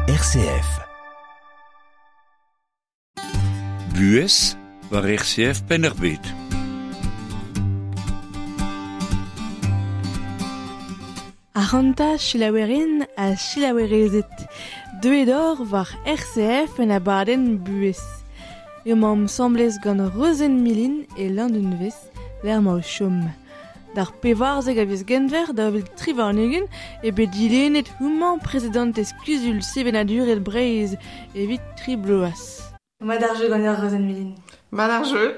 RCF. Buhez war RCF Penn-ar-Bed. Aranta selaouerien ha selaouerezed. Deuet or war RCF en abadenn Buhez. Emaomp asambles gant Rozenn Milin e Landunvez, lec'h ma o chom. D'ar 14 a viz Genver 2023 eo bet dilennet houmañ prezidantez Kuzul Sevenadurel Breizh evit tri bloaz. Mat ar jeu ganeoc'h Rozenn Milin. Mat ar jeu.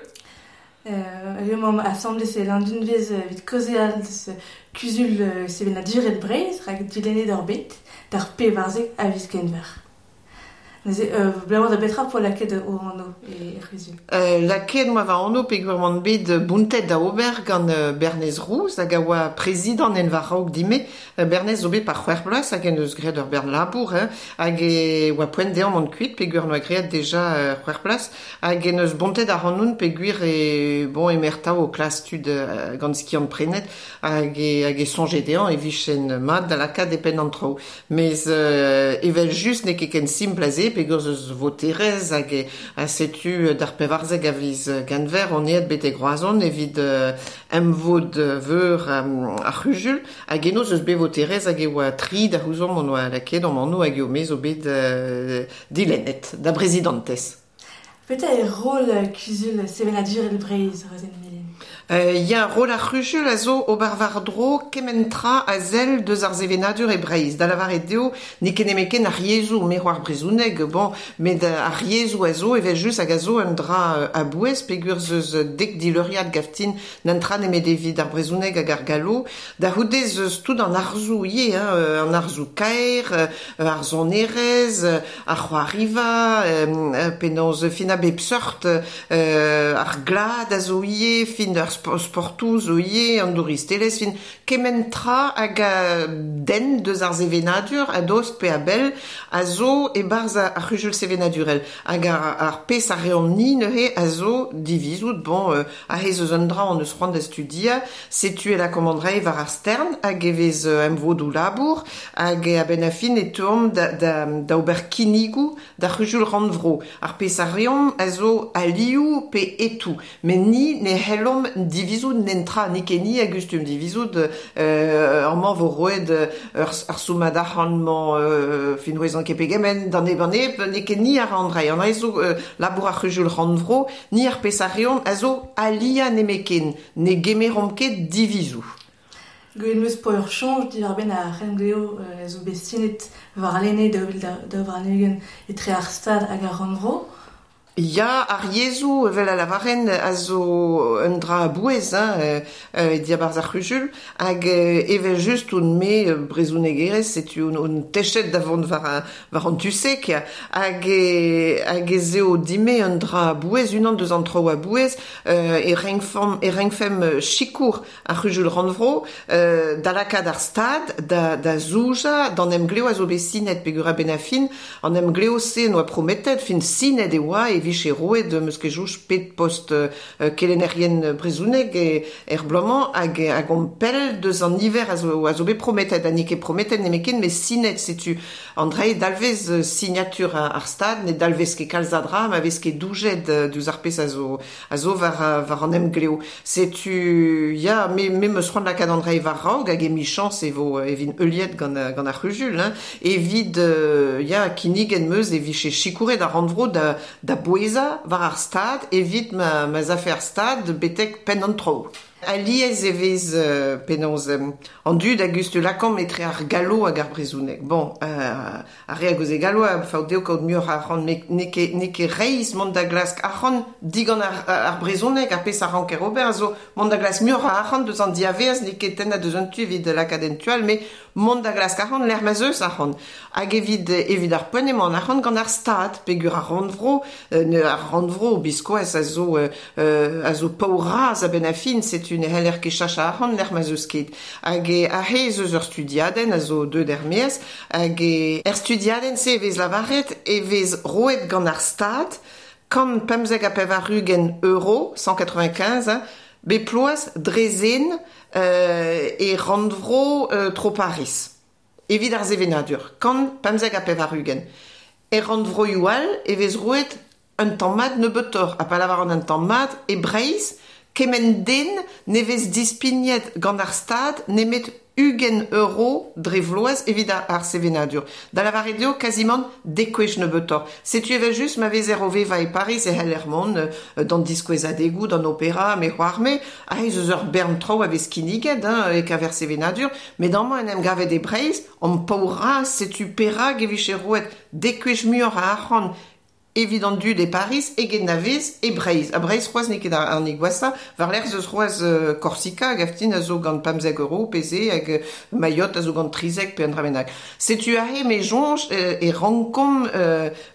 Emaomp asambles e Landunvez evit kaozeal deus Kuzul Sevenadurel Breizh rak dilennet ur bet d'ar 14 a viz Genver. Neuze, abalamour da betra 'poa lakaet ho anv e c'huzul? Lakaet 'moa va anv peogwir oan bet bountet da ober gant Bernez Rouz hag a oa prezidant en va raok din-me. Bernez zo bet par c'hwec'h bloaz hag en deus graet ur bern labour hein, hag e oa poent dezhañ mont kuit peogwir 'noa graet deja c'hwec'h bloaz hag en deus bontet ac'hanon peogwir e bon emaer 'tav o klask tud gant skiant-prenet hag e hag e soñje dezhañ e vijen mat da lakaat e penn an traoù. Mes evel-just n'eo ket ken simpl a se peogwir ez eus voterezh hag ha setu d'ar 14 a viz Genver on aet betek Roazhon evit emvod veur ar c'huzul hag eno ez eus bet voterezh hag e oa tri da c'houzomp hon oa lakaet hon anv hag eo me zo bet dilennet da brezidantez. Petra eo roll Kuzul Sevenadurel Breizh, Rozenn Milin? Ya, roll ar c'huzul a zo ober war-dro kement tra a sell deus ar sevenadur e Breizh. Da lavaret eo n'eo ket nemetken ar yezhoù, me c'hoar brezhoneg, bon, met ar yezhoù a zo evel-just hag a zo un dra a-bouez peogwir 'z eus dek dileuriad gavtin n'un tra nemet evit ar brezhoneg hag ar gallo. Da c'houde ez eus tout an arzoù ivez, hein, an arzoù kaer, ar sonerezh, ar c'hoariva, penaos fin a bep seurt, ar glad a zo ivez, fin ar sportoù zo ivez, an douristelezh, fin kement tra hag a denn deus ar sevenadur a-dost pe a-bell a zo e-barzh ar c'huzul sevenadurel. Hag ar pezh a reomp-ni neuze a zo divizout, bon, aze ez eus un dra hon eus c'hoant da studiañ, setu e lakaomp an dra war ar stern hag e vez emvodoù labour hag a-benn ar fin e teuomp da ober kinnigoù d'ar c'huzul rannvro. Ar pezh a reomp a zo alioù pe etoù. Met ni ne c'hellomp divizout nentra, n'eo ket ni a gustum divizout amañ vo roet ar soummad arc'hant-mañ fin 'ouezan ket pegement d'an neb an neb, n'eo ket ni a ra an dra. An dra zo labour ar c'huzul rannvro, ni ar pezh a reomp a zo aliañ nemetken, ne gemeromp ket divizoù. Gwelet 'm eus 'poa ur soñj diwar-benn ar c'henglev a zo bet sinet warlene 2022 etre ar Stad hag ar Rannvro. Ya, ar yezhoù, evel a lavaren, a zo un dra a-bouez hein, e diabarzh ar c'huzul hag evel-just on-me brezhonegerez, setu on techet da vont war an tu-se hag hag ez eo din-me un dra a-bouez, unan deus an traoù a-bouez e renkfemp sikour ar c'huzul rannvro da lakaat ar Stad da zoujañ d'an emglev a zo bet sinet peogwir a-benn ar fin an emglev-se 'noa prometet, fin sinet e oa e vije roet 'm eus ket soñj pet post kelennerien brezhoneg er bloaz-mañ hag hag omp pell deus an niver a zo bet prometet ha n'eo ket prometet nemetken met sinet setu an dra eo dalvez signatur ar Stad ne dalvez ket kalz a dra ma vez ket doujet diouzh ar pezh a zo war an emglev. Setu ya me 'm eus c'hoant lakaat an dra war-raok hag emichañs e vo e vin heuliet gant ar c'huzul hein, evit ya kinniget 'm eus e vije sikouret ar rannvro da bouezañ war ar Stad evit ma 'z afe ar Stad betek penn an traoù. Alies e vez penaos an dud a gustum lakaomp etre ar gallo hag ar brezhoneg. Bon, ar re a gaoze gallo a faot dezho kaout muioc'h a arc'hant met n'eo ket reizh mont da glask arc'hant digant ar brezhoneg ar pezh a ranker ober a zo mont da glask muioc'h a arc'hant deus an diavaez n'eo ket tennañ deus un tu evit lakaat en tu all met mont da glask arc'hant lec'h ma 'z eus arc'hant. Hag evit ar poent emañ an arc'hant gant ar Stad peogwir ar rannvro, ar rannvro biskoazh a zo paour-razh a-benn ar fin, setu ne c'heller ket chachañ arc'hant lec'h ma 'z eus ket. Hag aze ez eus ur studiadenn a zo deuet er-maez hag er studiadenn-se e vez lavaret e vez roet gant ar Stad 195 euro, 195, hein, bep ploaz dre zen e rannvro tro Pariz. evit ar sevenadur, kant 95. E rannvroioù all e vez roet un tamm mat nebeutoc'h, ha pa lavaran un tamm mat, e Breizh, kement den ne vez dispignet gant ar stad nemet 20 euro dre vloaz evit ar sevenadur. Da lavaret eo kazimant dekwech nebeutoc'h. Setu evel just ma vezer o vevañ e Pariz e c'heller mont d'an diskouezadegoù, d'an opera, me c'hoar me, aze eus ur bern traoù a vez kinniget, hein, e kaver sevenadur, met amañ en em gavet e Breizh, an paourraz, setu perak e vije roet dekwech muioc'h a arc'hant evit an dud e Pariz eget na vez e Breizh. Ha Breizh c'hoazh n'eo ket an gwashañ, war-lerc'h eus c'hoazh Korsika hag aftin a zo gant 15 euro pe se hag Mayotte a zo gant 13 pe an dra bennak. Setu aze me soñj e rankomp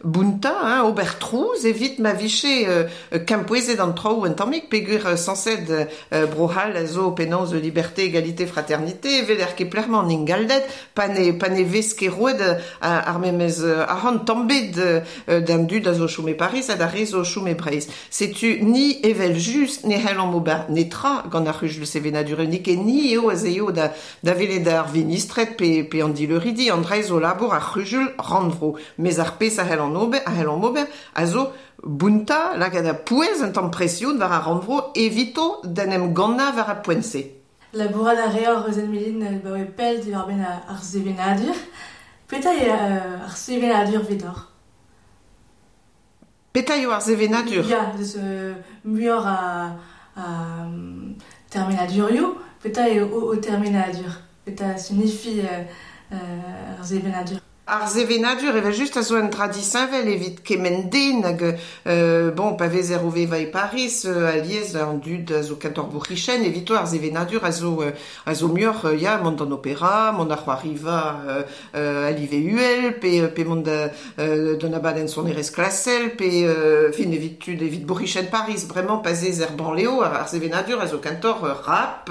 bountañ, hein, ober trouz evit ma vije kempouezet an traoù un tammig peogwir sañset Bro-C'hall a zo penaos liberté, égalité, fraternité, evel er ket plec'h-mañ an ingalded, pa ne vez ket roet ar memez arc'hant tamm bet d'an dud a zo chom e Pariz ha d'ar re zo chom e Breizh. Setu ni evel just ne c'hellomp ober netra gant ar c'huzul sevenadurel, n'eo ket ni eo az eo da welet ar vinistred pe an dileuridi, an dra zo labour ar c'huzul rannvro. Mes ar pezh a c'hellomp ober a zo bountañ lakaat a pouez un tamm presion war ar rannvro evito d'en em gannañ war ar poent-se. Labourat a reor Rozenn Milin baoe pell diwar-benn ar sevenadur. Petra eo ar sevenadur evidoc'h? Petra eo ar sevenadur? Ya, deus muioc'h a termenadurioù, petra eo o termenadur? Petra signifie ar sevenadur? Ar sevenadur evel just a zo un dra disheñvel evit kement den hag bon, pa vezer o vevañ e Pariz, alies an dud a zo kentoc'h bourc'hichen, evito ar sevenadur a zo muioc'h ya, mont d'an opera, mont d'ar c'hoariva a live uhel, pe mont d'an abadenn sonerezh klasel, pe fin evit tud evit bourc'hichen Pariz, bremañ pa zez er banleo, ar sevenadur a zo kentoc'h rap,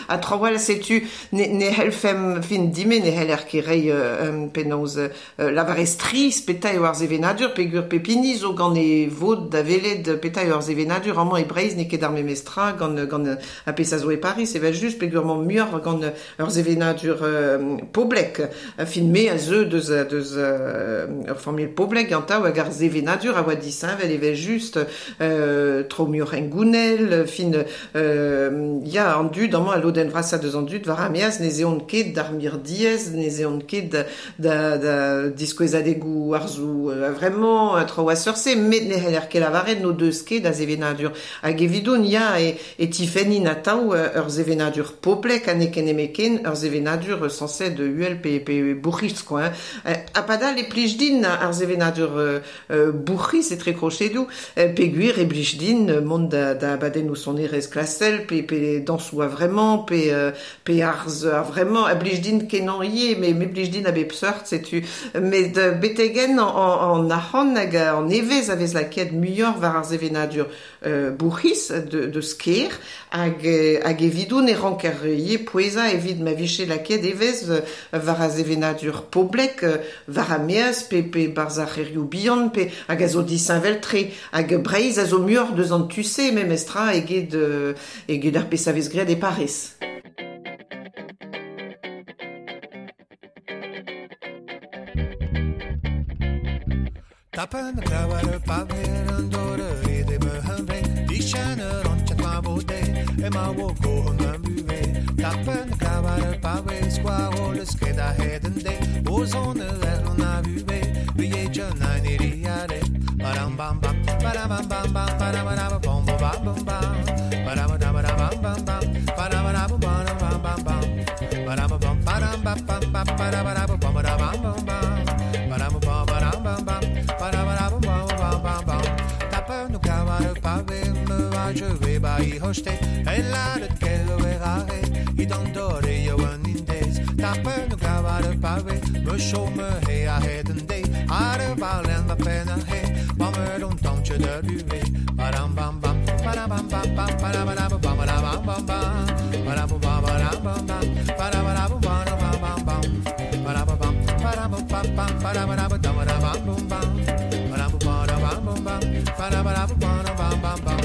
ha traoù all, setu ne c'hellfemp fin dime ne c'heller ket reiñ penaos lavarez triz petra eo ar sevenadur peogwir pep hini zo gant e vod da welet petra eo ar sevenadur amañ e Breizh n'eo ket ar memes tra gant ar pezh a zo e Pariz evel just peogwir emañ muioc'h gant ur sevenadur poblek. Fin me a zeu deus ur familh poblek gantañ hag ar sevenadur a oa disheñvel evel just traoù muioc'h hengounel, fin ya an dud amañ a lodenn vrasañ deus an dud war ar maez ne zeont ket d'ar mirdiez, ne zeont ket da diskouezadegoù arzoù vraiment traoù a seurt-se, met ne c'heller ket lavaret n'o deus ket a sevenadur. Hag evidon ya e tifennin atav ur sevenadur poblek ha n'eo ket nemetken ur sevenadur sañset uhel pe bourc'hiz quoi. Ha padal e plij din ar sevenadur bourc'hiz etre krochedoù, peogwir e blij din mont da abadennoù sonerezh klasel pe dañsoù a vraiment pe arz a vraiment a blij din kenañ ivez, me blij din a bep seurt, setu. Met betegen an arc'hant hag an evezh a vez lakaet muioc'h war ar sevenadur bourc'hiz de sker hag evidoun e ranker ivez pouezañ evit ma vije lakaet evezh war ar sevenadur poblek war ar maez pe barzh ar c'hêrioù bihan pe hag a zo disheñvel-tre hag Breizh a zo muioc'h deus an tu-se memes tra eget ar pezh a vez graet e Pariz. Tapen kawar paver an dore de me dichaner on chat ma bote e ma wo go on buve Tapen kawar paver squaro le skeda heden de ozon er on a buve vie jana niriare param bam bam param bam bam bam param bam bam bam bam param bam bam bam bam param bam bam bam bam param bam param bam bam param bam bam bam param bam bam bam je bai hoste ella de kelo erare i dandore yo an indes tapen no gavar pave me chome he a heden day are valen va pena he ma me don tantje de buve param bam bam param bam bam bam param bam bam bam bam bam param bam bam bam bam param bam bam bam bam param bam param bam bam param bam bam bam bam param bam bam bam param bam bam bam bam.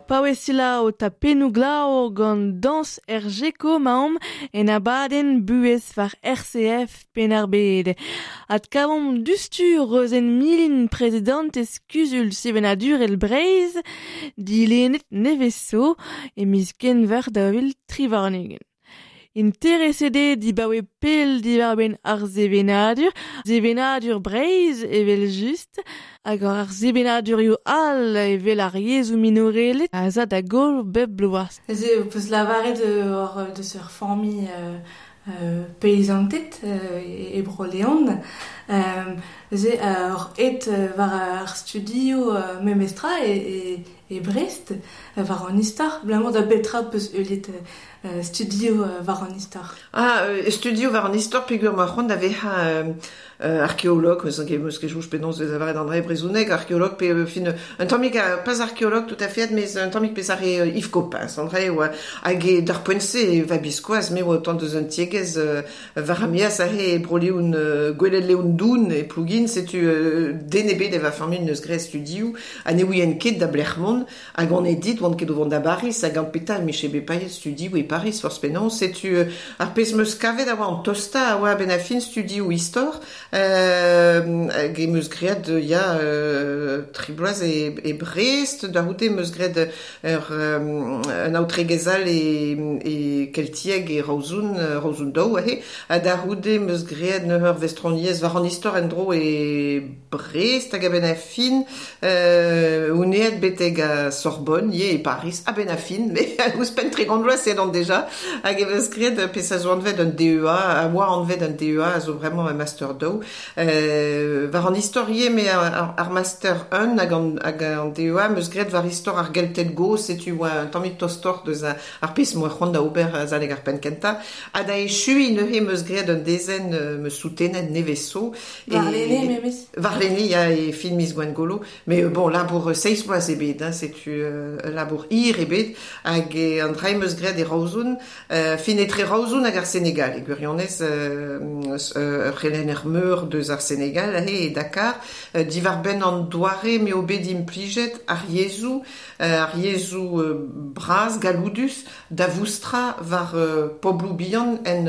Paouesila o tapennou glao gant dans er geko maom en abadenn buhez war RCF Penn-ar-Bed. Ad kavom dustu Rozenn Milin prezidantez kuzul sevenadur el Breizh dilennet neveso e miz Genver 2023. Intereset eo dibaoe pell diwar-benn ar sevenadur, sevenadur Breizh evel just, hag ar sevenadurioù all evel ar yezhoù minorelet a za da goll bep bloaz. Ez eo peus lavaret hor deus ur familh paysantet e Bro-Leon. Ez eo hor et war ar studio memestra e Brest, war an istor. Blamour da betra peus eulet studio war an istor. Ah, studio war an istor peogwir ma c'hoant da vezañ archéologue, meus ket jouj penaos vez avaret an dre brezhoneg, archéologue pe fin un tammig pas archéologue tout à fait, mais un tammig pezh ar Yves Coppens, an dre oa hag e d'ar poent-se e va biskoaz, me oa tant deus un tiegezh war amiaz aze e Bro-Leon gwelet Leon Doun e Plougin, setu den ebet e va familh neus graet studioù, ha ne ouien ket da Blermont, hag on e dit oan ket o vont da Baris, hag an petal miche bet paeet studioù e Paris, forzh penaos, setu ar pezh meus kavet a oa an tosta a oa ben a fin studioù istor, hag e meus graet ya tri bloaz e Brest, da c'houde meus graet ur un aotregezh all e Keltieg e Raozoun daou aze, ha da c'houde meus graet ur vestroniezh war an istor en-dro e Brest hag a-benn a fin, oun betek a Sorbonne, ye e Paris, a-benn a fin, mais ouzhpenn 30 vloaz edon deja, hag e meus graet pezh a zo anvet un DEA, a oa anvet un DEA, a zo vraiment un master daou. War an istor ivez, mais ar master 1 Gwalarn hag an DEA meus graet war istor ar Gelted gozh, setu oa un tammig tostoc'h deus ar pezh 'moa c'hoant da ober azalek ar penn kentañ. Ha da echuiñ neuze meus graet un dezenn meus soutenet nevez zo. Warlene memes? Warlene, ya, e fin miz Gwengolo. Met bon, labour seizh bloaz eo bet, hein, setu ul labour hir eo bet. Hag an dra meus graet e Roazhon, fin etre Roazhon hag ar Senegal, e gwirionez ur c'helenner meur deus ar Senegal aze e Dakar, diwar-benn an doare m'eo bet implijet ar yezhoù, ar yezhoù bras galloudus da voustrañ war pobloù bihan en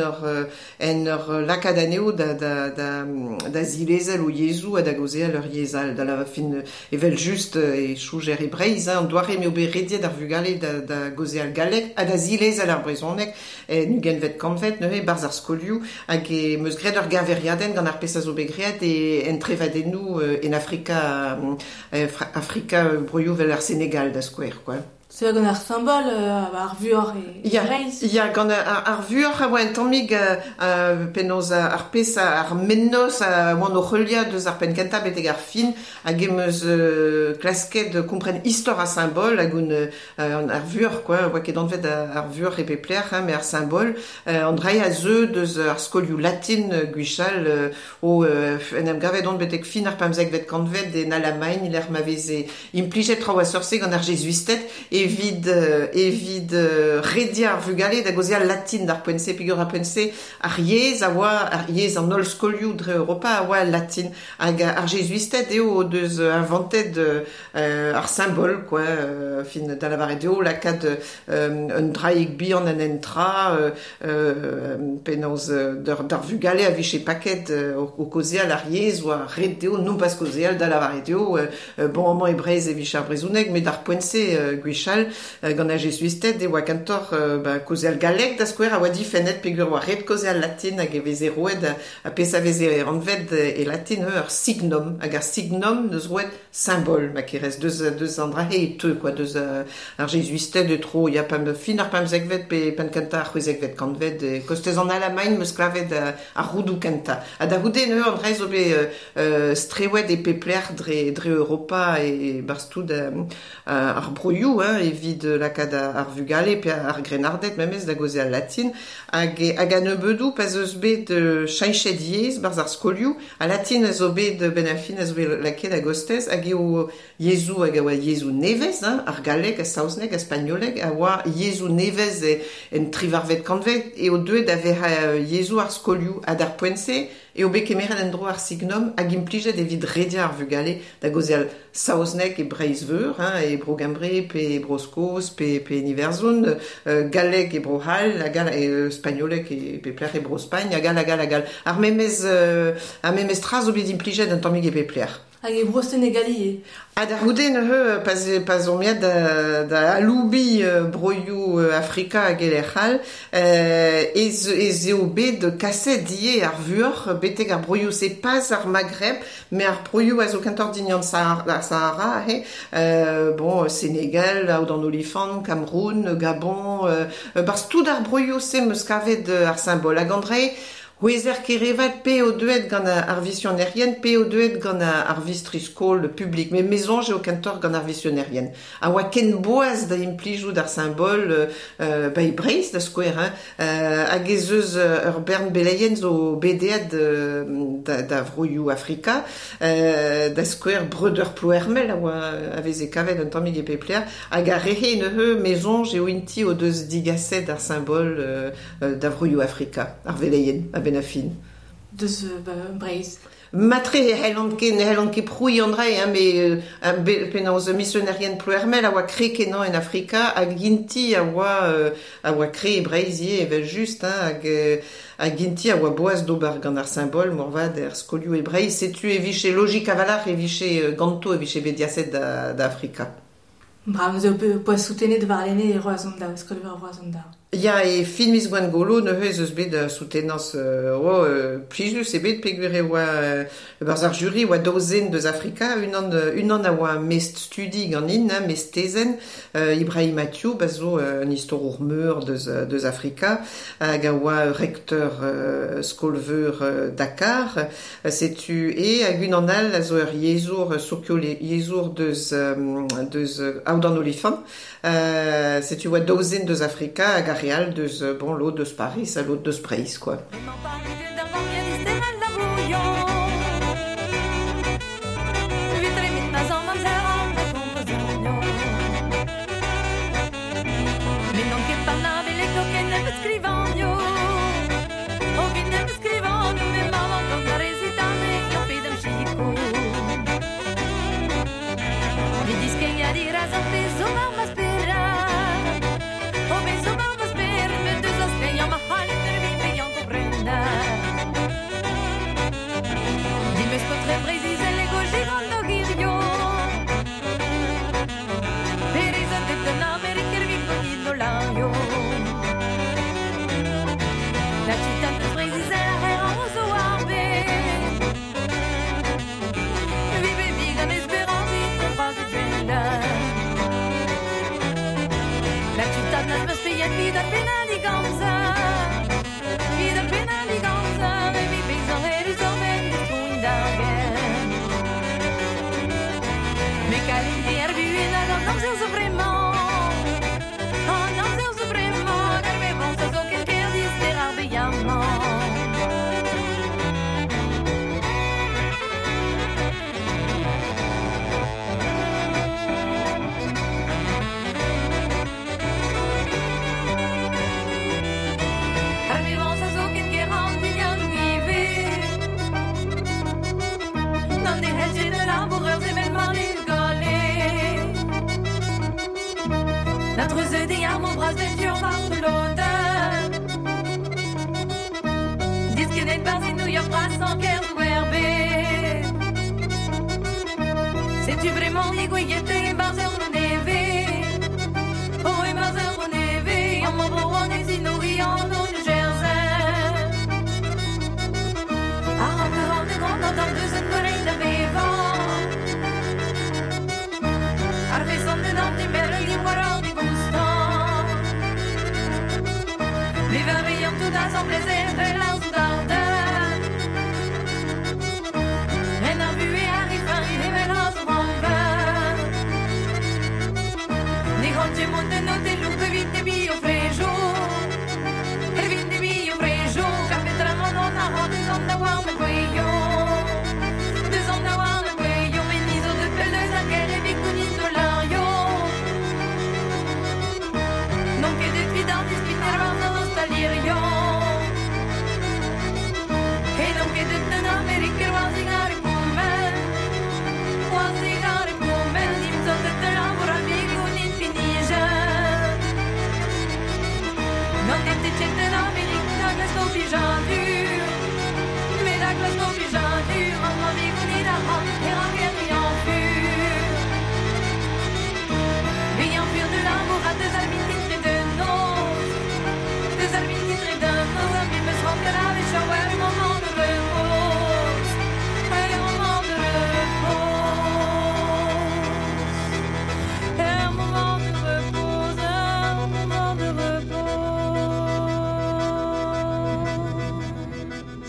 ur lakaat anezho da zilezel o yezhoù ha da gaozeal ur yezh all. Da la fin evel-just e soñjer e Breizh, hein, an doare m'eo bet rediet ar vugale da gaozeal galleg ha da zilezel ar brezhoneg en ugentvet kantved neuze barzh ar skolioù, hag e meus graet ur geñveriadenn gant ar pezh a zo bet graet en trevadennoù en Afrika, Afrika broioù vel ar Senegal da skouer, quoi. C'est gant ar symbol ar vuoc'h e Breizh. Ya, gant ar vuoc'h a oa un tammig penaos ar pezh ar mennozh a oan o heuliañ deus ar penn kentañ betek ar fin, hag em eus klasket kompren istor ar symbol hag un ar vuoc'h, quoi, oa ket anvet ar vuoc'h e pep lec'h, hein, met ar symbol an dra a zeu deus ar skolioù latin gwechall o en em gavet on betek fin ar pemzekvet kantved en Alamagn lec'h ma veze implijet traoù a seurt-se gant ar jezuisted evit rediañ ar vugale da gaozeal latin d'ar poent-se, peogwir ar poent-se ar yezh a oa ar yezh an holl skolioù dre Europa a oa latin, hag ar jezuisted eo o deus inventet ar symbol, quoi, fin da lavaret eo lakaat un draig bihan en un tra penaos d'ar vugale a vije paket o kaozeal ar yezh oa ret dezho non pas kaozeal da lavaret eo bon amañ e Breizh e vije ar brezhoneg, met d'ar poent-se gwechall gant ar jezuisted e oa kentoc'h kaozeal galleg da skouer a oa difennet peogwir oa ret kaozeal latin hag e veze roet a pezh a veze anvet e latin ur signum, hag ar signum neus roet symbol ma kerez deus an dra e teu, quoi, deus ar jezuisted e tro ya pemp fin ar pemzekvet pe penn kentañ ar c'hwezekvet kantved kostez an Alamagn meus klavet ar roudoù kentañ. Ha da c'houde neuze an dra zo bet strewet e pep lec'h dre Europa e barzh tout ar broioù, hein, evit lakaat ar vugale pe ar grennarded memes da gaozeal latin, hag a nebeudoù pa 'z eus bet cheñchet yezh barzh ar skolioù, a latin a zo bet benn ar fin a zo bet lakaet a-gostez, hag eo yezhoù hag a oa yezhoù nevez, hein, ar galleg, ar saozneg, ar spagnoleg a oa yezhoù nevez en trivarvet kantved eo deuet da vezañ yezhoù ar skolioù, ha d'ar poent-se eo bet kemeret en-dro ar signum hag implijet evit rediañ ar vugale da gaozeal saozneg e Breizh-Veur, hein, e Bro-Gembre pe e Bro-Skos pe en Iwerzhon, galleg e Bro-C'hall, hag spagnoleg e pep lec'h e Bro-Spagn, hag all, hag all, hag all. Ar memes tra zo bet implijet un tammig e pep lec'h. Hag e Bro-Senegal ivez. Ha da c'houde neuze pa omp aet da aloubiñ broioù Afrika hag e lec'h all, ez eo bet kaset ivez ar vuoc'h betek ar broioù-se, pas ar Maghreb, met ar broioù a zo kentoc'h dindan ar Sahara, he, bon, Senegal, Aod an Olifant, Cameroun, Gabon, barzh tout ar broioù-se meus kavet ar symbol. Hag an dra C'hwezer kerevat pe o deuet gant ar visionerien, pe o deuet gant ar vistri-skol publik. Met me soñj eo kentoc'h gant ar visionerien. A oa ken boaz da implijout ar symbol ba e Breizh da skouer, hein, hag ez eus ur bern beleien zo bedeet da vroioù Afrika, da skouer breudeur Ploermel a oa a veze kavet un tammig e pep lec'h, hag ar rehe neuze me soñj eo inti o deus digaset ar symbol da vroioù Afrika, ar veleien, a benn ar fin. Deus Breizh. Matre ne c'hellont ket prouiñ an dra, hein, met penaos misionerien Ploermel a oa kre kenañ en Afrika, hag inti a oa kre e Breizh ivez evel-just, hein, hag inti a oa boaz d'ober gant ar symbol moarvat er skolioù e Breizh. Setu e vije logik a-walc'h e vije ganto e vije bet diaset da Afrika. Bravo, zo poa soutenet warlene e Roazhon da, skol-veur Roazhon da. Ya e fin miz Gwengolo neuze ez eus bet soutenans plijus e bet peogwir e oa barzh ar juri oa daou zen deus Afrika unan a oa mest studi ganin hein, mest tezenn Ibrahim Mathieu ba zo un istorour meur deus Afrika hag a oa rekteur skolveur Dakar setu e hag unan all a zo ur yezhour sokio yezhour deus Aodan Olifant setu oa daou zen deus Afrika hag ar re all deus bon l'autre deus Paris ha l'autre deus Breizh quoi.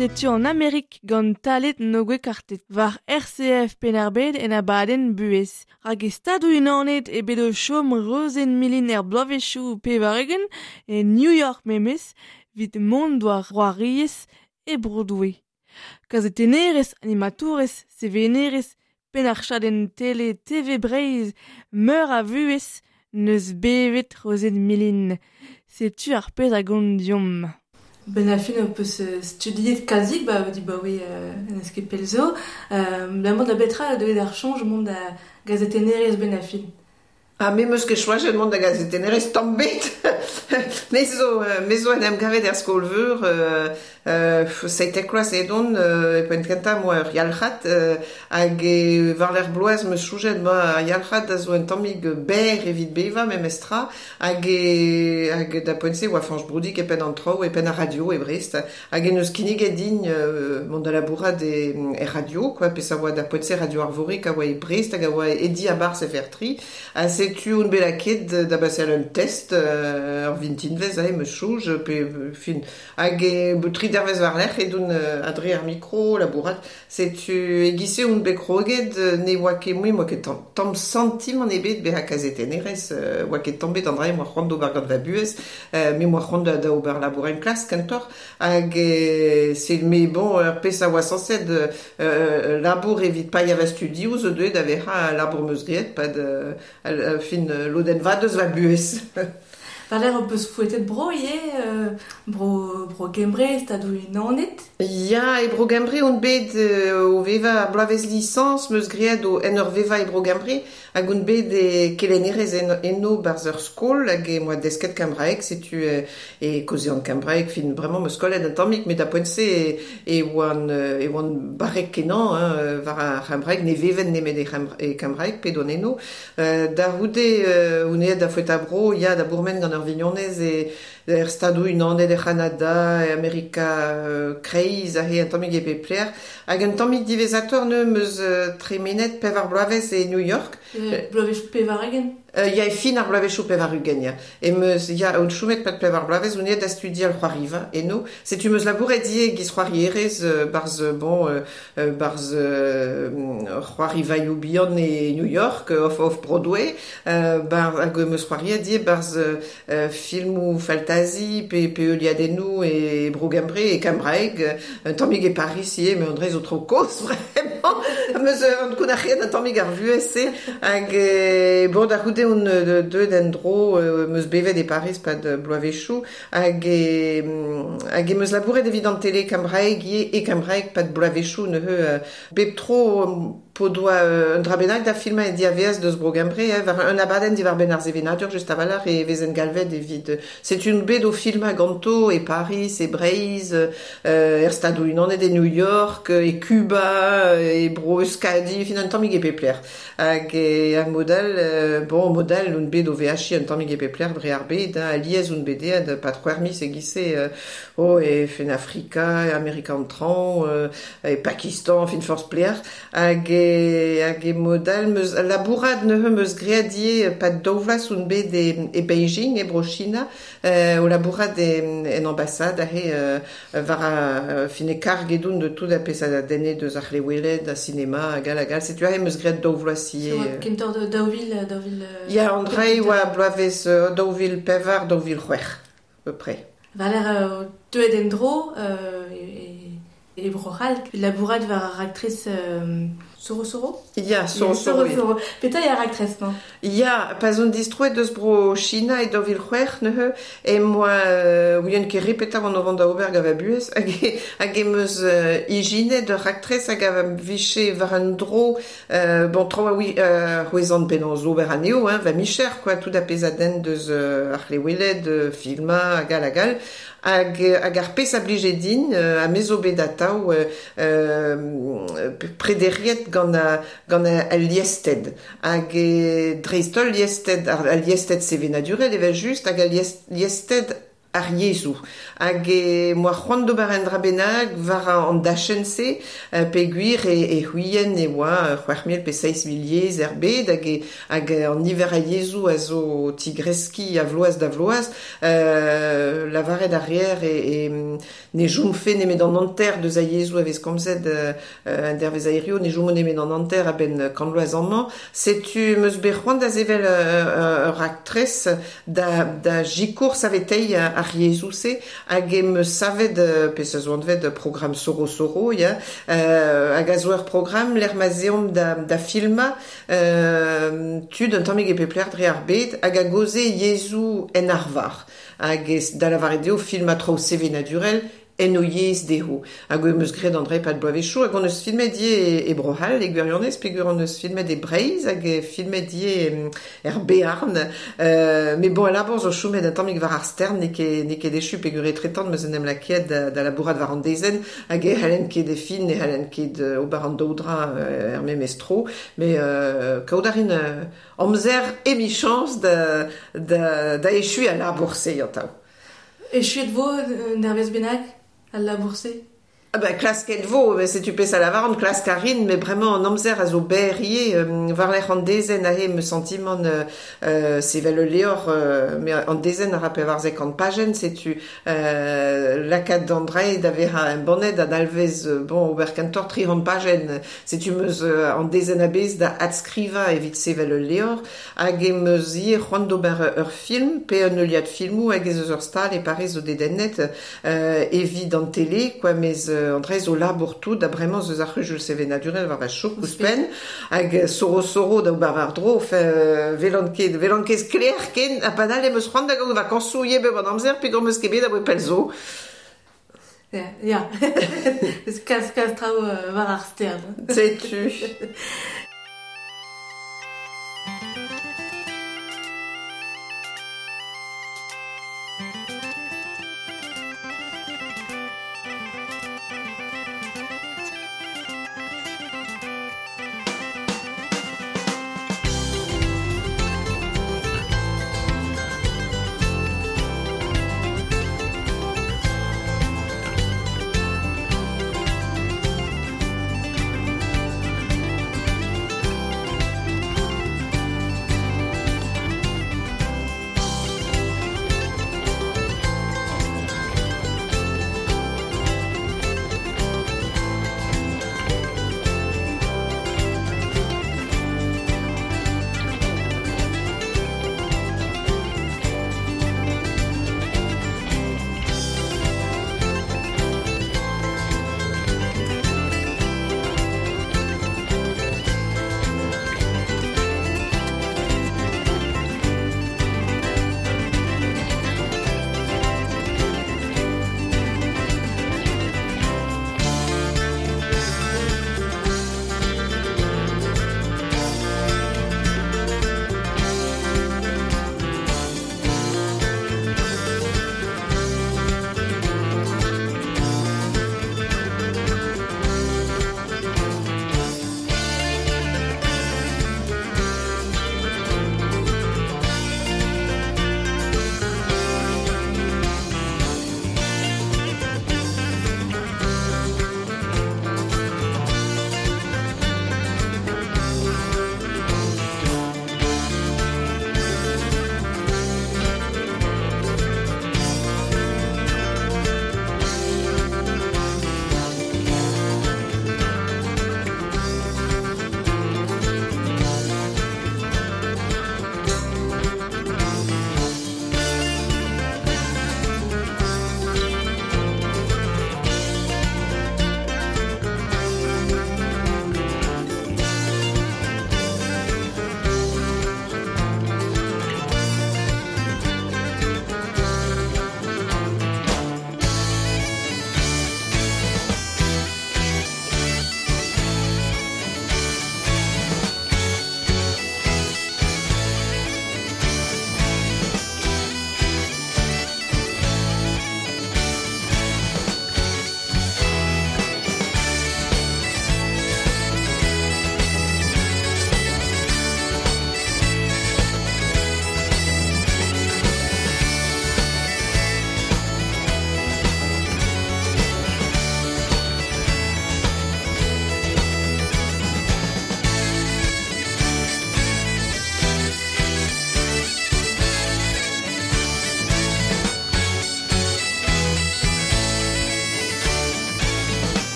Setu an Amerik gant talet nogue kartet war RCF Penarbed en abadenn buhez. Hag e stadou unanet e bet o chom Rozenn Milin er bloavezhioù pevaregen e New York memes vit mont war roariez e Broadway. Kazetennerez, animatourez, sevenerez, penn tele TV Breizh, meur a vuhez, neus bevet Rozenn Milin. Setu ar pezh a gont diomp. Ben a fin peus studiet kalzik ba di ba oui en eus ket pell zo. La mont da betra deuet ar chañj mont da gazetennerez ben a fin. Ah, me meus ket choajet mont da gazetennerez tamm bet. Me zo en em gavet er skol-veur, seitek kloaz edon, e poent kentañ moa ur yalc'had, hag e war-lerc'h bloaz meus soñjet ma ar yalc'had a zo un tammig berr evit bevañ memestra, hag e, hag da poent-se oa Fañch Broudig e penn an traoù, e penn ar radio e Brest, hag en eus kinniget din mont da labourat e, e radio, quoi, pezh a oa da poent-se Radio Arvorig a oa e Brest hag a oa e diabarzh FR3, ha setu on bet lakaet da baseal un test ur vintinvezh aze meus soñj, pe fin, hag e tri dervezh war-lerc'h edon adre ar mikro labourat, setu e-giz-se on bet kroget, ne oa ket mui, moa ket tamm santimant ebet bezañ kazetennerez, oa ket tamm bet an dra moa c'hoant d'ober gant va buhez, me moa c'hoant da ober labour en klas kentoc'h, hag c'est mais bon, ur pezh a oa sañset labour evit paeañ va studioù zo deuet da vezañ labour meus graet pad fin lodenn vat eus va buhez. War-lerc'h ho peus foetet bro ivez, bro Gembre, stadoù Unanet? Ya, e bro Gembre on bet o vevañ ar bloavezh lisañs meus graet en ur vevañ e bro Gembre, hag on bet e kelennerez eno barzh ur skol hag e moa desket kembraeg, setu e kaozean kembraeg, fin bremañ meus kollet un tammig, met da poent-se e oan barrek kenañ hein, war ar c'hembraeg, ne veven nemet e kembraeg pet on eno. Da c'houde on aet da foetañ bro, ya da bourmen gant ur vignonez e er Stadoù Unanet, er C'hanada, e Amerika Kreiz, aze un tammig e pep lec'h. Hag un tammig diwezhatoc'h neuze meus tremenet pevar bloavezh e New York. Bloavezhioù pevar-ugent? Ya, e fin ar bloavezhioù pevar-ugent, ya. E meus, ya, on chomet pad pevar bloavezh, on aet da studial c'hoariva eno. Setu meus labouret ivez giz c'hoarierez barzh, bon, barzh c'hoarivaioù bihan e New York, off Broadway, hag meus c'hoariet ivez barzh filmoù faltazi pe heuliadennoù e Bro Gembre, e Kembraeg, un tammig e Paris ivez, met an dra zo tro kozh vraiment. Meus an kounac'hiet un tammig ar vuhez-se, hag bon, da c'houde on deuet en-dro, meus bevet e Paris pad bloavezhioù, hag e meus labouret evit an tele kembraeg ivez, e kembraeg pad bloavezhioù neuze bep tro po doa un dra bennak da filmañ e diaveaz deus Bro Gembre, war un abadenn diwar-benn ar sevenadur just a-walc'h e vezen galvet evit setu un bet o filmañ ganto e Paris, e Breizh, er Stadoù Unanet e New York, e Cuba, e Bro Euskadi, fin un tammig e pep lec'h. Hag ar modal, bon, modal un bet o veajiñ un tammig e pep lec'h dre ar bed, hein, alies un bet aet pad c'hwec'h miz e-giz-se, oh, e fin Afrika, e Amerika an traoñ, e Pakistan, fin forzh pelec'h, hag e modal meus labourat neuze meus graet ivez pad daou vloaz on bet e Beijing, e Bro China, o labourat en ambassade aze war a fin e karg edon de tout a pezh a denne deus ar c'hleweled, a sinema, hag all hag all. Setu aze meus graet daou vloaz ivez. Kentoc'h de daou vil... Ya, an dra e oa bloavezh 2004, 2006, à peu près. War-lerc'h deuet en-dro e Bro-C'hall, labourat war ar raktres Soro Soro? Ya, Soro Soro. Soro. Petra eo ar raktres-mañ? Ya, pa zon distroet deus Bro China e 2006 neuze, e moa ouien ket re petra oan o vont da ober gant va buhez, hag em eus ijinet ur raktres hag a vije war un dro, bon, tro a c'hwezan penaos ober anezho, hein, va micher, quoi, tout a pezh a denn deus ar c'hleweled, filmañ, hag all hag all. Hag ar pezh a blije din, ha me zo bet atav prederiet gant al liested. Hag dreist-holl liested, al liested sevenadurel evel just, hag al liested ar yezhoù. Hag e moa c'hoant d'ober un dra bennak war an dachenn-se, peogwir e c'hwien e oa 6.000 pe 6.000 yezh er bed, hag an niver a yezhoù a zo tigreskiñ a vloaz da vloaz, lavaret ar reer e ne chomfe nemet an hanter deus a yezhoù a vez komzet an dervezh aerioù, ne chomo nemet an hanter a-benn kant vloaz amañ. Setu meus bet c'hoant da sevel ur raktres da sikour saveteiñ ar yezhoù-se, hag em eus savet, pe se zo anvet programm Soro Soro, ya, hag a zo ur programm lec'h ma 'z eomp da filmañ tud un tammig e pep lec'h dre ar bed hag a gaoze yezhoù en arvar. Hag da lavaret eo filmañ traoù sevenadurel en o yezh dezho. Hag em eus graet an dre pad bloavezhioù, hag on eus filmet ivez e Bro-C'hall, e gwirionez, peogwir on eus filmet e Breizh, hag e filmet ivez er Bearn. Met bon, al labour zo chomet un tammig war ar stern, n'eo ket echu peogwir etretant 'm eus en em lakaet da labourat war an dezenn, hag e c'hallen ket e fin, ne c'hallen ket ober an daou dra er memes tro, met kaout a rin amzer emichañs da echuiñ al labour-se atav. Echuet vo un dervezh bennak al labour-se? Ah ben, klasket vo, met setu pezh a lavaran, klask a rin, met bremañ an amzer a zo berr ivez, war-lerc'h an dezenn aze 'm eus santimant sevel ul levr, met an dezenn a ra 94 pajenn, setu lakaat an dra da vezañ embannet a dalvez bon, ober kentoc'h 300 pajenn, setu 'm eus an dezenn a-bezh da adskrivañ evit sevel ul levr, hag em eus ivez c'hoant d'ober ur film, pe un heuliad filmoù hag ez eus ur stal e Pariz zo dedennet evit an tele, quoi, mes an dra zo labour tout, da bremañ eus ar c'huzul sevenadurel war va chouk ouzhpenn, hag soro-soro da ober war-dro, enfin, velan ket sklaer ken, ha padal em eus c'hoant da gaout vakañsoù ivez bep an amzer, peogwir 'm eus ket bet aboe pell zo. Ya, eus kalz traoù war ar stern. Setu.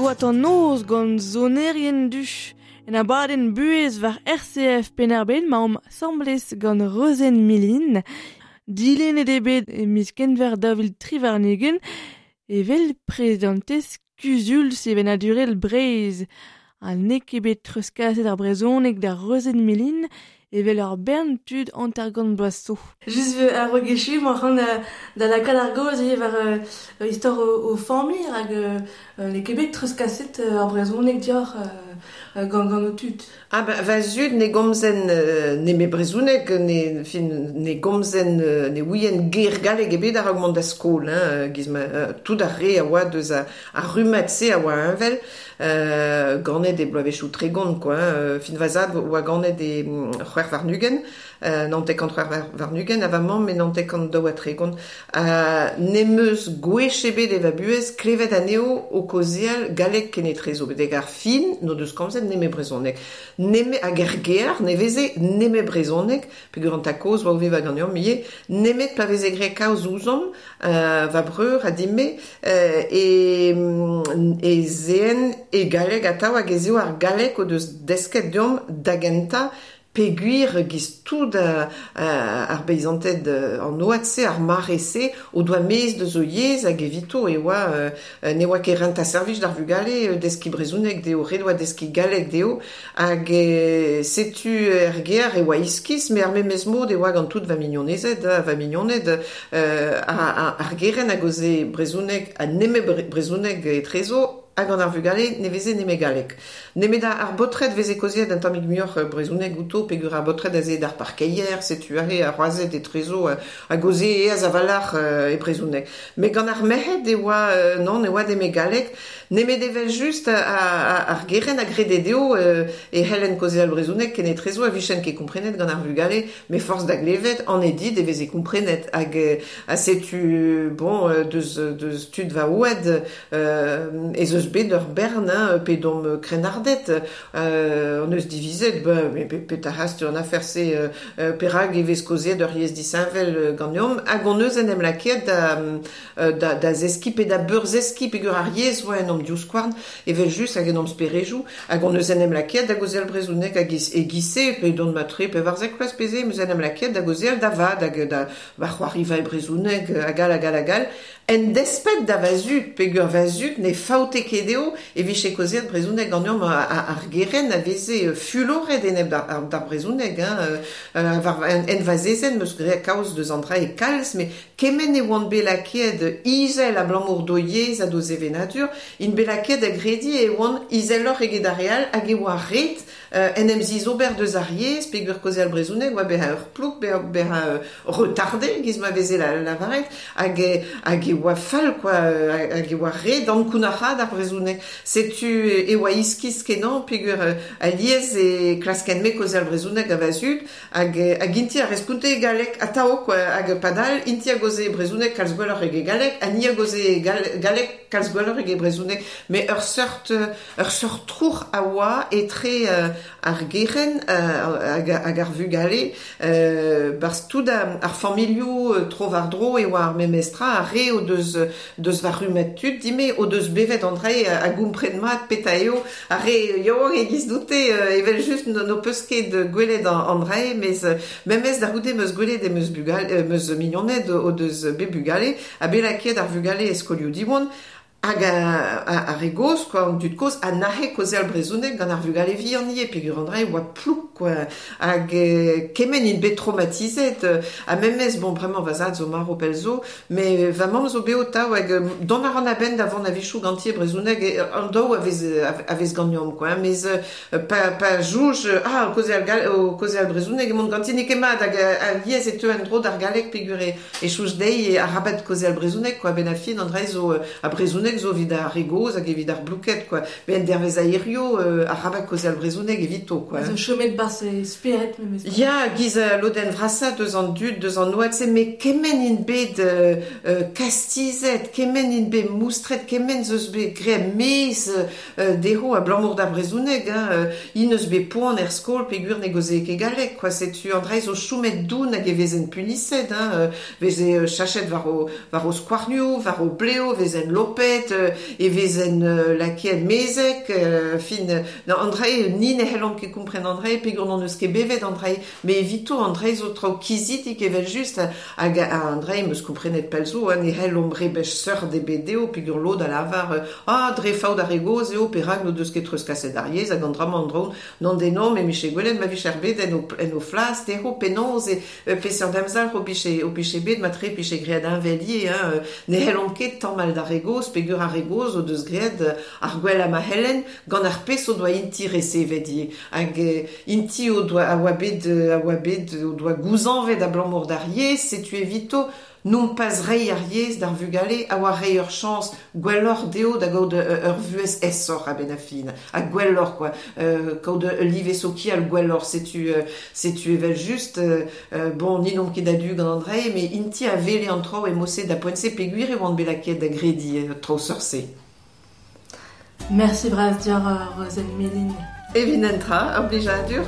oa an noz gant sonerien du. En abadenn buhez war RCF Penn-ar-Bed ma omp asambles gant Rozenn Milin. Dilennet eo bet e miz Kenver 2023 evel prezidantez Kuzul Sevenadurel Breizh. Ha n'eo ket bet treuzkaset ar brezhoneg da Rozenn Milin evel ur bern tud 50 bloaz zo. Just ar rogechu, ma c'han da lakaat ar gaoz ivez war istor o familh hag n'eo ket bet treuzkaset ar brezhoneg dioc'h gant o tud. Ah ben, va zud ne gomzen ne me brezhoneg, ne, fin, ne gomzen ne ouien ger galleg ebet a-raok mont da skol, hein, giz ma, tout ar re a oa deus ar rummad-se a oa heñvel, ganet e bloavezhioù 30, quoi, hein, fin va zad oa ganet e 26, 94 26, ha va mamm e 92. N'em eus gwech ebet e va buhez klevet anezho o kaozeal galleg kenetrezo, betek ar fin n'o deus komzet neme brezhoneg. Neme hag er gêr ne veze neme brezhoneg, peogwir an tad-kozh oa o vevañ ganeomp ivez, nemet pa veze graet kaoz ouzhomp, va breur ha din-me, e zeen e galleg atav hag ez eo ar galleg o deus desket deomp da gentañ peogwir giz tout ar beizanted an oad-se, ar mare-se, o doa mezh deus o yezh hag evito e oa ne oa ket rentañ servij d'ar vugale deskiñ brezhoneg dezho, ret oa deskiñ galleg dezho hag setu er gêr e oa iskis, met ar memes mod e oa gant tout va mignonezed, va mignoned, ar gerent a gaoze brezhoneg ha nemet brezhoneg etrezo, hag gant ar vugale ne veze nemet galleg. Nemet ar baotred veze kaozeet un tammig muioc'h brezhoneg outo, peogwir ar baotred a zee d'ar parkeier, setu aze ar c'hoazed etrezo a gaoze aes a-walc'h e brezhoneg. Met gant ar merc'hed e oa, non, e oa nemet galleg, nemet evel-just ar gerent a grede dezho e c'hellent kaozeal brezhoneg kenetrezo a vijent ket komprenet gant ar vugale, met forzh da glevet, an edit e veze komprenet. Hag ha setu, bon, deus tud va oad, ez eus bet ur bern, hein, pe domp krennarded, hon eus divizet, ben, petra hast an afer-se, perak e vez kaozeet ur yezh disheñvel ganeomp, hag hon eus en em lakaet da zeskiñ pe da beurzeskiñ peogwir ar yezh oa en hom divskouarn, evel-just hag en hom sperejoù, hag hon eus en em lakaet da gaozeal brezhoneg hag e giz-se, pe dont matre 14 vloaz pe se, em eus en em lakaet da gaozeal da vat hag da va c'hoariva e brezhoneg hag all hag all hag all, en desped da va zud, peogwir va zud ne faote ket dezho e vije kaozeet brezhoneg ganeomp ar gerent a veze fuloret enep d'ar brezhoneg, hein, war en va zezenn 'm eus graet kaoz deus an dra e kalz, met kement e oant bet lakaet izel abalamour d'o yezh ha d'o sevenadur, int bet lakaet da grediñ e oant izeloc'h eget ar re all hag e oa ret en em zizober deus ar yezh, peogwir kaozeal brezhoneg oa bezañ ur plouk, bezañ retardé, giz ma veze lavaret, hag e oa fall, quoi, hag e oa ret ankounac'haat ar brezhoneg. Setu e oa iskis kenañ, peogwir alies e klasken-me kaozeal brezhoneg a va zud, hag inti a responte e galleg atav, quoi, hag padal inti a gaoze brezhoneg kalz gwelloc'h eget galleg, ha ni a gaoze galleg kalz gwelloc'h eget brezhoneg. Met ur seurt trouc'h a oa etre ar gerent hag ar vugale, barzh tout ar familhoù tro-war-dro e oa ar memes tra, ar re o deus va rummad tud dime, o deus bevet an dra a gompren mat petra eo, ar re yaouank e-giz doute, evel-just n'ho peus ket gwelet an dra, mes memes da c'houde 'm eus gwelet em eus bugale, 'm eus mignoned o deus bet bugale, ha bet lakaet ar vugale e skolioù Diwan, hag ar re gozh, quoi, an dud kozh, a nac'he kaozeal brezhoneg gant ar vugale vihan ivez, peogwir an dra e oa plouk, quoi, hag kement int bet traumatizet, ha memes, bon, bremañ va zad zo marv pell zo, met va mamm zo bev atav, hag dont a ran a-benn da vont a-wechoù ganti e brezhoneg, an daou a vez ganeomp, quoi, mes pa soñj, ah, o kaozeal brezhoneg emaon ganti, n'eo ket mat, hag alies e teu en-dro d'ar galleg peogwir e soñj dezhi arabat kaozeal brezhoneg, quoi, a-benn ar fin an dra zo a brezhoneg zo evit ar re gozh hag evit ar blouked, quoi. Met en dervez a hirio, arabat kaozeal brezhoneg evito, quoi. Zo chomet barzh e spered memes. Ya, giz lodenn vrasañ deus an dud, deus an oad-se, met kement int bet kastizet, kement int bet moustret, kement zeus bet graet mezh dezho abalamour d'ar brezhoneg, hein, int eus bet poan er skol peogwir ne gaoze ket galleg, quoi. Setu an dra zo chomet doun hag e vezen puniset, hein, veze chachet war o skouarnioù, war o bleo, vezen lopet, Gwelet, e vezen lakeet mezek, fin, na Andrei, ni ne c'hellomp ket kompren Andrei, peogwir n'hon eus ket bevet Andrei, me evito Andrei zo traoù kizidik evel just, hag Andrei 'm eus komprenet pell zo, hein, ne c'hellomp rebech seurt ebet dezho, peogwir lod a lavar, ah, dre faot ar re gozh eo, perak n'o deus ket treuzkaset ar yezh, hag an dra-mañ an dro, n'on den me 'mije gwelet ma vije ar bed en o flas dezho, penaos e peseurt amzer o pije bet, matre pije graet heñvel ivez, hein, ne c'hellomp ket tamall d'ar re gozh, peogwir ar re gozh o deus graet ar gwellañ ma c'hellent gant ar pezh o doa inti resevet ivez. Hag inti o doa a oa bet a oa bet o doa gouzañvet abalamour d'ar yezh, setu evito nompas reiñ ar yezh d'ar vugale a oa reiñ ur chañs gwelloc'h dezho da gaout ur vuhez aesoc'h a-benn ar fin, ha gwelloc'h quoi, kaout ul live sokial gwelloc'h, setu evel just, bon, ni n'omp ket a-du gant an dra-se, met inti a wele an traoù e mod-se da poent-se peogwir e oant bet lakaet da grediñ traoù seurt-se. Mersi bras deoc'h, Rozenn Milin. Evit netra, ur blijadur.